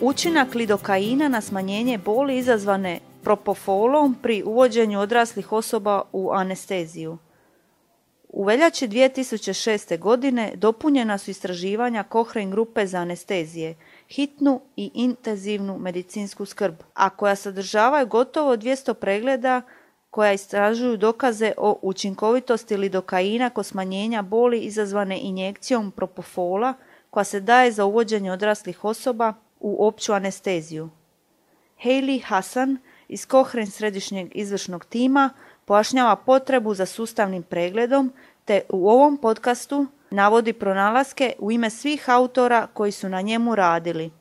Učinak lidokaina na smanjenje boli izazvane propofolom pri uvođenju odraslih osoba u anesteziju. U veljači 2006. godine dopunjena su istraživanja Cochrane grupe za anestezije, hitnu i intenzivnu medicinsku skrb, a koja sadržavaju gotovo 200 pregleda koja istražuju dokaze o učinkovitosti lidokaina kod smanjenja boli izazvane injekcijom propofola koja se daje za uvođenje odraslih osoba u opću anesteziju. Hayley Hassan iz Cochrane središnjeg izvršnog tima pojašnjava potrebu za sustavnim pregledom te u ovom podcastu navodi pronalaske u ime svih autora koji su na njemu radili.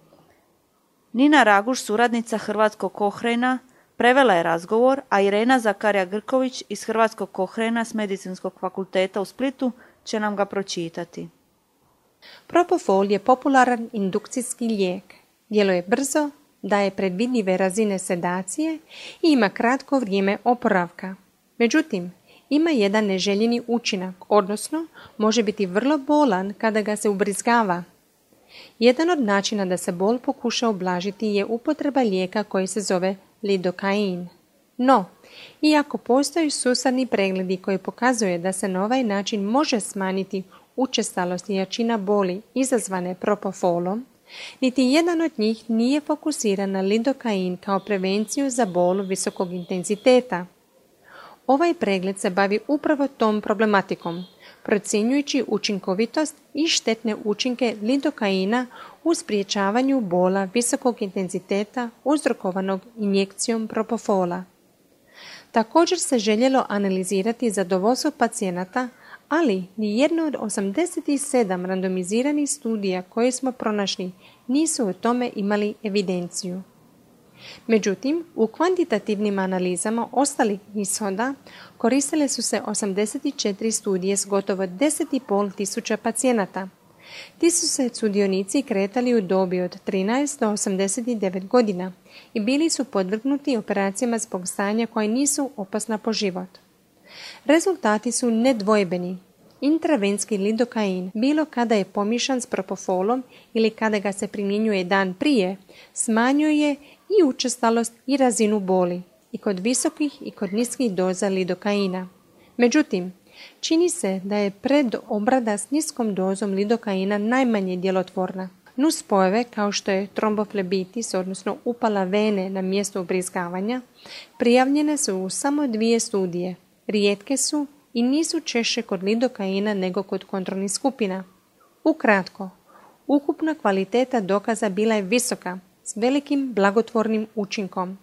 Nina Raguš, suradnica Hrvatskog Cochrana, prevela je razgovor, a Irena Zakarija-Grković iz Hrvatskog Cochrana s Medicinskog fakulteta u Splitu će nam ga pročitati. Propofol je popularan indukcijski lijek. Djeluje brzo, daje predvidljive razine sedacije i ima kratko vrijeme oporavka. Međutim, ima jedan neželjeni učinak, odnosno može biti vrlo bolan kada ga se ubrizgava. Jedan od načina da se bol pokuša ublažiti je upotreba lijeka koji se zove lidokain. No, iako postoji sustavni pregledi koji pokazuje da se na ovaj način može smanjiti učestalost i jačina boli izazvane propofolom, niti jedan od njih nije fokusiran na lidokain kao prevenciju za bol visokog intenziteta. Ovaj pregled se bavi upravo tom problematikom, procjenjujući učinkovitost i štetne učinke lidokaina u sprječavanju bola visokog intenziteta uzrokovanog injekcijom propofola. Također se željelo analizirati zadovoljstvo pacijenata, ali nijedno od 87 randomiziranih studija koje smo pronašli nisu o tome imali evidenciju. Međutim, u kvantitativnim analizama ostalih ishoda koristile su se 84 studije s gotovo 10,5 tisuća pacijenata. Ti su se sudionici kretali u dobi od 13 do 89 godina i bili su podvrgnuti operacijama zbog stanja koje nisu opasna po život. Rezultati su nedvojbeni. Intravenski lidokain, bilo kada je pomiješan s propofolom ili kada ga se primjenjuje dan prije, smanjuje i učestalost i razinu boli, i kod visokih i kod niskih doza lidokaina. Međutim, čini se da je predobrada s niskom dozom lidokaina najmanje djelotvorna. Nuspojave kao što je tromboflebitis, odnosno upala vene na mjestu ubrizgavanja, prijavljene su u samo 2 studije. Rijetke su i nisu češće kod lidokaina nego kod kontrolnih skupina. Ukratko, ukupna kvaliteta dokaza bila je visoka, s velikim blagotvornim učinkom.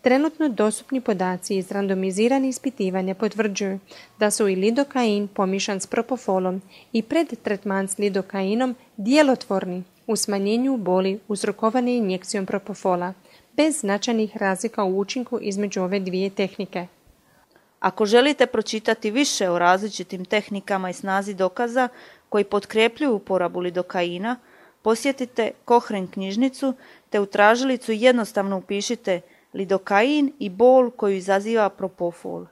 Trenutno dostupni podaci iz randomiziranih ispitivanja potvrđuju da su i lidokain pomiješan s propofolom i predtretman s lidokainom djelotvorni u smanjenju boli uzrokovane injekcijom propofola, bez značajnih razlika u učinku između ove 2 tehnike. Ako želite pročitati više o različitim tehnikama i snazi dokaza koji potkrepljuju uporabu lidokaina, posjetite Cochrane knjižnicu te u tražilicu jednostavno upišite lidokain i bol koju izaziva propofol.